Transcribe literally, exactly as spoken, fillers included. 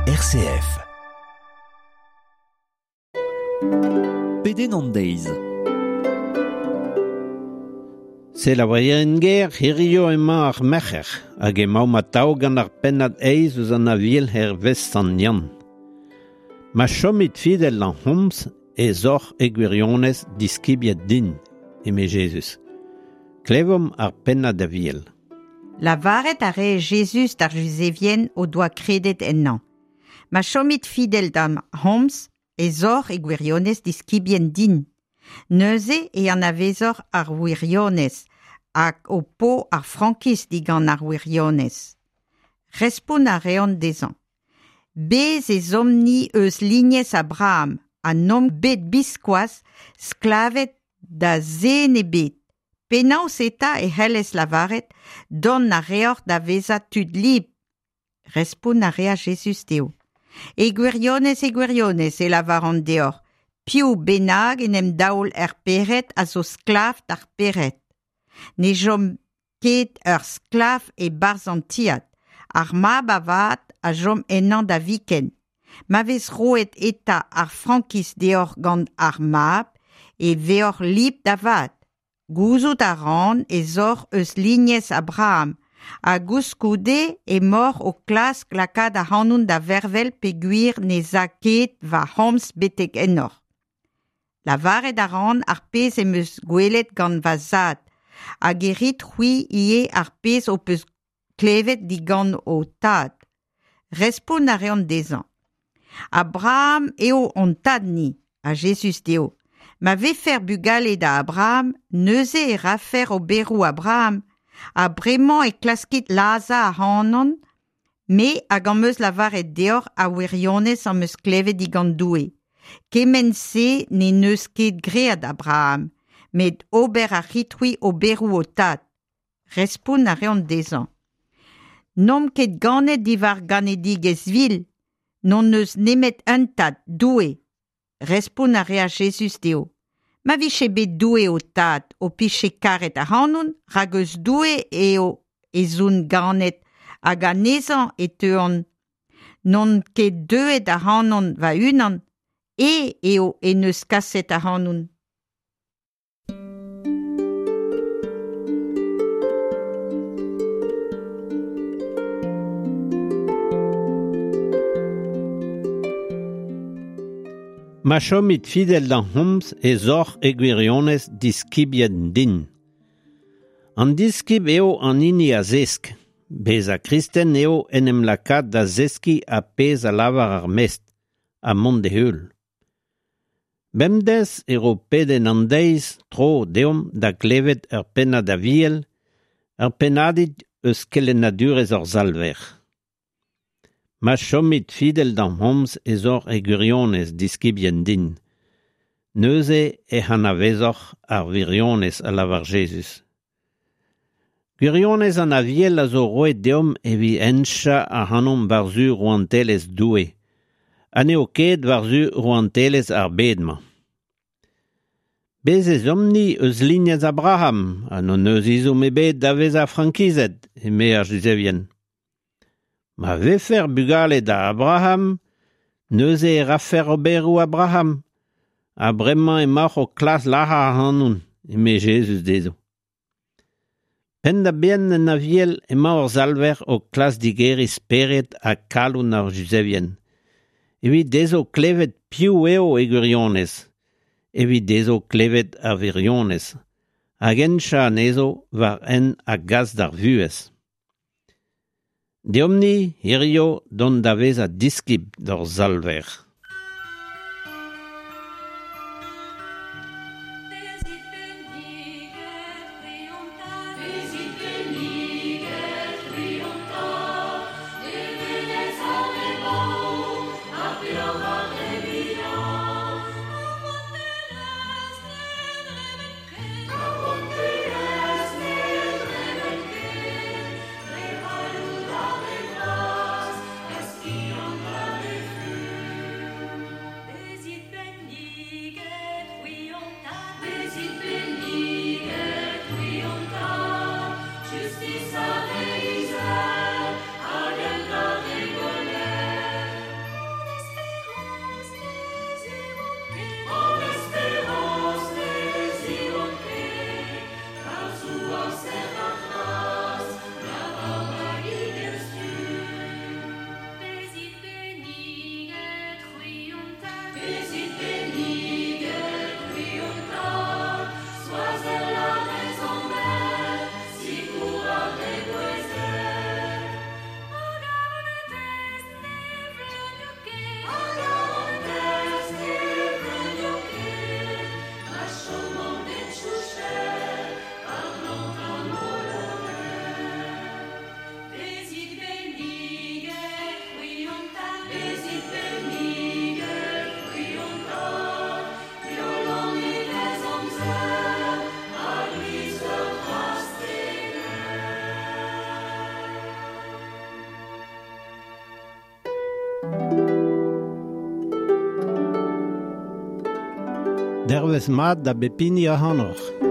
R C F. Pedenn an deiz. Selaouerien ger, hirio emañ ar merc'her, hag emaomp atav gant ar pennad eizh eus an Aviel hervez Sant Yann. Ma chomit fidel d'am c'homz ez oc'h e gwirionez diskibien din, eme Jezuz. Klevomp ar pennad Aviel. Lavaret a rae Jezuz d'ar Juzevien o doa kredet ennañ. Ma chomit fidel d'am c'homz ez oc'h e gwirionez diskibien din. Neuze e anavezoc'h ar wirionez hag ho po ar frankiz digant ar wirionez. Respont a reont dezhañ. Bez ez omp-ni eus lignez Abraham ha n'omp bet biskoazh sklaved da zen ebet. Penaos eta e c'hellez lavaret dont a reoc'h da vezañ tud libr. Respont a rea Jezuz dezho. E gwirionez, e gwirionez, e lavaran deoc'h, piv bennak en em daol er pec'hed a zo sklav d'ar pec'hed. Ne chom ket ur sklav e-barzh an tiad, ar mab avat a chom ennañ da viken. Ma vez roet eta ar frankiz deoc'h gant ar mab, e veoc'h libr da vat. Gouzout a ran ez oc'h eus lignez Abraham, ha koulskoude emaoc'h o klask lakaat ac'hanon da vervel peogwir ne za ket va c'homz betek ennoc'h. Lavaret a ran ar pezh em eus gwelet gant va zad, hag e rit c'hwi ivez ar pezh ho peus klevet digant ho tad. Respont a reont dezhañ. Abraham eo hon tad-ni, ha Jezuz dezho. Ma vefec'h bugale da Abraham, neuze e rafec'h oberoù Abraham, ha bremañ e klaskit lazhañ ac'hanon, me hag am eus lavaret deoc'h ar wirionez am eus klevet digant Doue. Kement-se n'en deus ket graet Abraham, met ober a rit-c'hwi oberoù ho tad. Respont a reont dezhañ. N'omp ket ganet diwar ganedigezh vil, n'hon eus nemet un tad, Doue. Respont a rea Jezuz dezho. Ma vije bet Doue ho tad, ho pije karet ac'hanon, rak eus Doue eo ez on ganet hag anezhañ e teuan. N'on ket deuet ac'hanon va-unan, e eo en deus kaset ac'hanon. Ma chomit fidel d'am c'homz ez oc'h e gwirionez diskibien din. An diskib eo an hini a zesk. Bezañ kristen eo en em lakaat da zeskiñ ar pezh a lavar ar mestr, ha mont d'e heul. Bemdez e ro pedenn an deiz tro deomp da glevet ur pennad Aviel, ur pennadig eus kelennadurezh hor Salver. Ma chomit fidel d'am c'homz ez oc'h e gwirionez diskibien din. Neuze ec'h anavezoc'h ar wirionez a lavar Jezuz. Gwirionez an Aviel a zo roet deomp evit henchañ ac'hanomp war-zu rouantelezh Doue, ha n'eo ket war-zu rouantelezh ar bed-mañ. Bez ez omp-ni eus lignez Abraham, ha n'hon eus ezhomm ebet da vezañ frankizet, eme ar Juzevien. Ma vefec'h bugale da Abraham, neuze e rafec'h oberoù Abraham, ha bremañ emaoc'h o klask lazhañ ac'hanon, eme Jezuz dezho. Penn-da-benn en Aviel emañ hor Salver o klask digeriñ spered ha kalon ar Juzevien. Evit dezho klevet piv eo e gwirionez, evit dezho klevet ar wirionez, hag henchañ anezho war hent a gas d'ar vuhez. Deomp-ni hirio dont da vezañ diskib d'hor Salver. Bezit benniget, c'hwi hon tad, bezit benniget, c'hwi hon tad, levenez ar re baour, ha peoc'h ar re vihan. Ar gontelezh ne dremen ket, ar gontelezh ne dremen ket, dre c'halloud ar re vras, er skiant ar re fur. Dervez mat da bep hini ac'hanoc'h.